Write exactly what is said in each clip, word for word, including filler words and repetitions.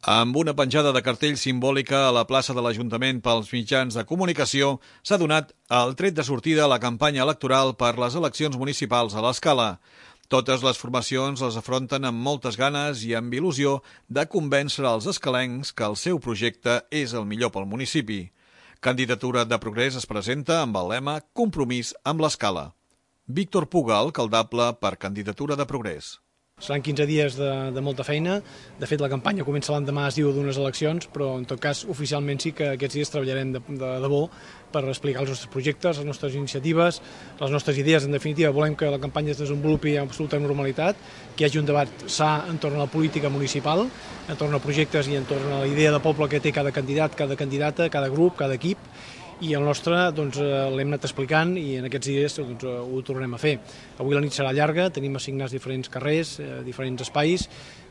Amb una penjada de cartell simbòlica a la plaça de l'Ajuntament pels mitjans de comunicació, s'ha donat el tret de sortida a la campanya electoral per les eleccions municipals a l'Escala. Totes les formacions les afronten amb moltes ganes i amb il·lusió de convèncer els escalencs que el seu projecte és el millor pel municipi. Candidatura de Progrés es presenta amb el lema Compromís amb l'Escala. Víctor Puga, alcaldable per Candidatura de Progrés. Seran quinze dies de, de molta feina. De fet, la campanya comença l'endemà, es diu, d'unes eleccions, però en tot cas, oficialment sí que aquests dies treballarem de, de debò per explicar els nostres projectes, les nostres iniciatives, les nostres idees. En definitiva, volem que la campanya es desenvolupi amb absoluta normalitat, que hi hagi un debat sa entorn a la política municipal, entorn a projectes i entorn a la idea de poble que té cada candidat, cada candidata, cada grup, cada equip, i el nostre doncs, l'hem anat explicant i en aquests dies doncs, ho tornarem a fer. Avui la nit serà llarga, tenim assignats diferents carrers, eh, diferents espais,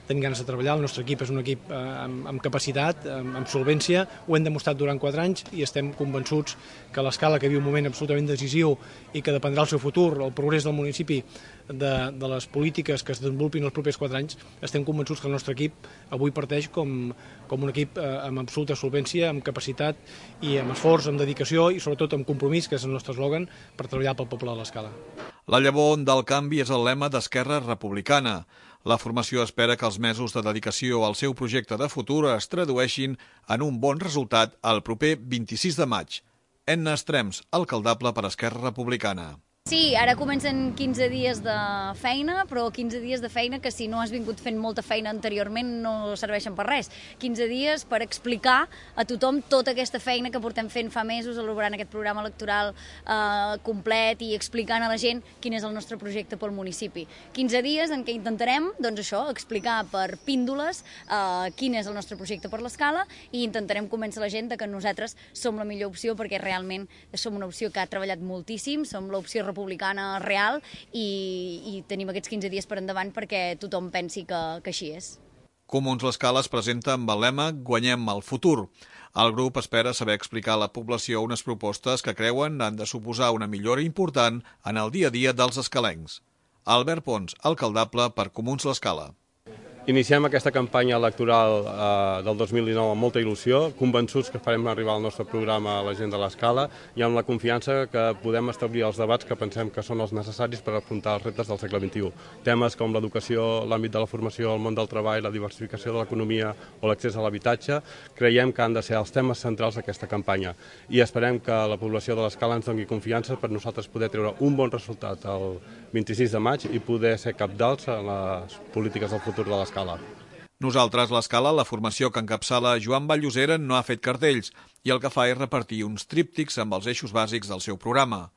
tenim ganes de treballar, el nostre equip és un equip eh, amb, amb capacitat, amb, amb solvència, ho hem demostrat durant quatre anys i estem convençuts que l'Escala, que viu un moment absolutament decisiu i que dependrà el seu futur, el progrés del municipi, de, de les polítiques que es desenvolupin els propers quatre anys, estem convençuts que el nostre equip avui parteix com, com un equip eh, amb absoluta solvència, amb capacitat i amb esforç, amb dedicació i sobretot amb compromís, que és el nostre eslògan, per treballar pel poble de l'Escala. La llavor del canvi és el lema d'Esquerra Republicana. La formació espera que els mesos de dedicació al seu projecte de futur es tradueixin en un bon resultat el proper vint-i-sis de maig. Enna Estrems, alcaldable per Esquerra Republicana. Sí, ara comencen quinze dies de feina, però quinze dies de feina que si no has vingut fent molta feina anteriorment no serveixen per res. quinze dies per explicar a tothom tota aquesta feina que portem fent fa mesos, elaborant aquest programa electoral eh, complet i explicant a la gent quin és el nostre projecte pel municipi. quinze dies en què intentarem, doncs això, explicar per píndoles eh, quin és el nostre projecte per l'Escala i intentarem convèncer la gent de que nosaltres som la millor opció perquè realment som una opció que ha treballat moltíssim, som l'opció republicana republicana real i, i tenim aquests quinze dies per endavant perquè tothom pensi que, que així és. Comuns l'Escala es presenta amb el lema Guanyem el futur. El grup espera saber explicar a la població unes propostes que creuen han de suposar una millora important en el dia a dia dels escalencs. Albert Pons, alcaldable per Comuns l'Escala. Iniciem aquesta campanya electoral eh, del dos mil dinou amb molta il·lusió, convençuts que farem arribar el nostre programa a la gent de l'Escala i amb la confiança que podem establir els debats que pensem que són els necessaris per afrontar els reptes del segle vint-i-u. Temes com l'educació, l'àmbit de la formació, el món del treball, la diversificació de l'economia o l'accés a l'habitatge, creiem que han de ser els temes centrals d'aquesta campanya i esperem que la població de l'Escala ens doni confiança per nosaltres poder treure un bon resultat el vint-i-sis de maig i poder ser capdals en les polítiques del futur de l'Escala. Nosaltres, l'Escala, la formació que encapçala Joan Vall-llosera, no ha fet cartells i el que fa és repartir uns tríptics amb els eixos bàsics del seu programa.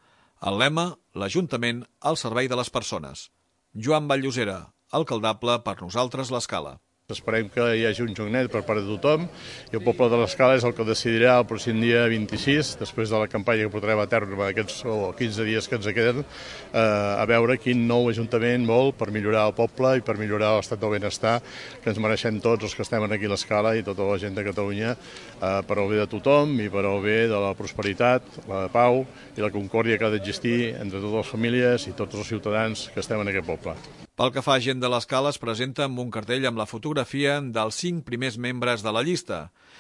El lema, l'Ajuntament al servei de les persones. Joan Vall-llosera, alcaldable per Nosaltres, l'Escala. Esperem que hi hagi un joc net per part de tothom i el poble de l'Escala és el que decidirà el pròxim dia vint-i-sis, després de la campanya que portarem a terme aquests quinze dies que ens queden, eh, a veure quin nou ajuntament vol per millorar el poble i per millorar l'estat del benestar que ens mereixem tots els que estem aquí a l'Escala i tota la gent de Catalunya eh, per al bé de tothom i per al bé de la prosperitat, la pau i la concòrdia que ha d'existir entre totes les famílies i tots els ciutadans que estem en aquest poble. Pel que fa a gent de l'Escala, es presenta amb un cartell amb la fotografia dels cinc primers membres de la llista.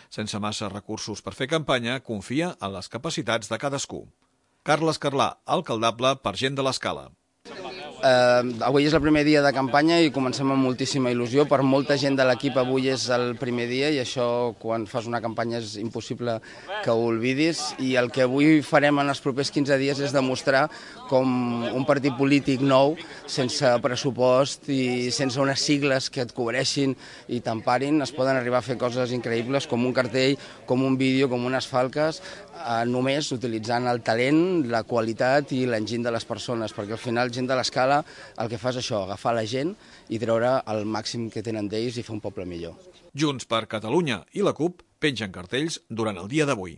Sense massa recursos per fer campanya, confia en les capacitats de cadascú. Carles Carlà, alcaldable per Gent de l'Escala. Uh, avui és el primer dia de campanya i comencem amb moltíssima il·lusió. Per molta gent de l'equip avui és el primer dia i això quan fas una campanya és impossible que ho oblidis i el que avui farem en els propers quinze dies és demostrar com un partit polític nou, sense pressupost i sense unes sigles que et cobreixin i t'emparin, es poden arribar a fer coses increïbles com un cartell, com un vídeo, com unes falques, eh, només utilitzant el talent, la qualitat i l'enginy de les persones, perquè al final Gent de l'Escala el que fa és això, agafar la gent i treure el màxim que tenen d'ells i fer un poble millor. Junts per Catalunya i la CUP pengen cartells durant el dia d'avui.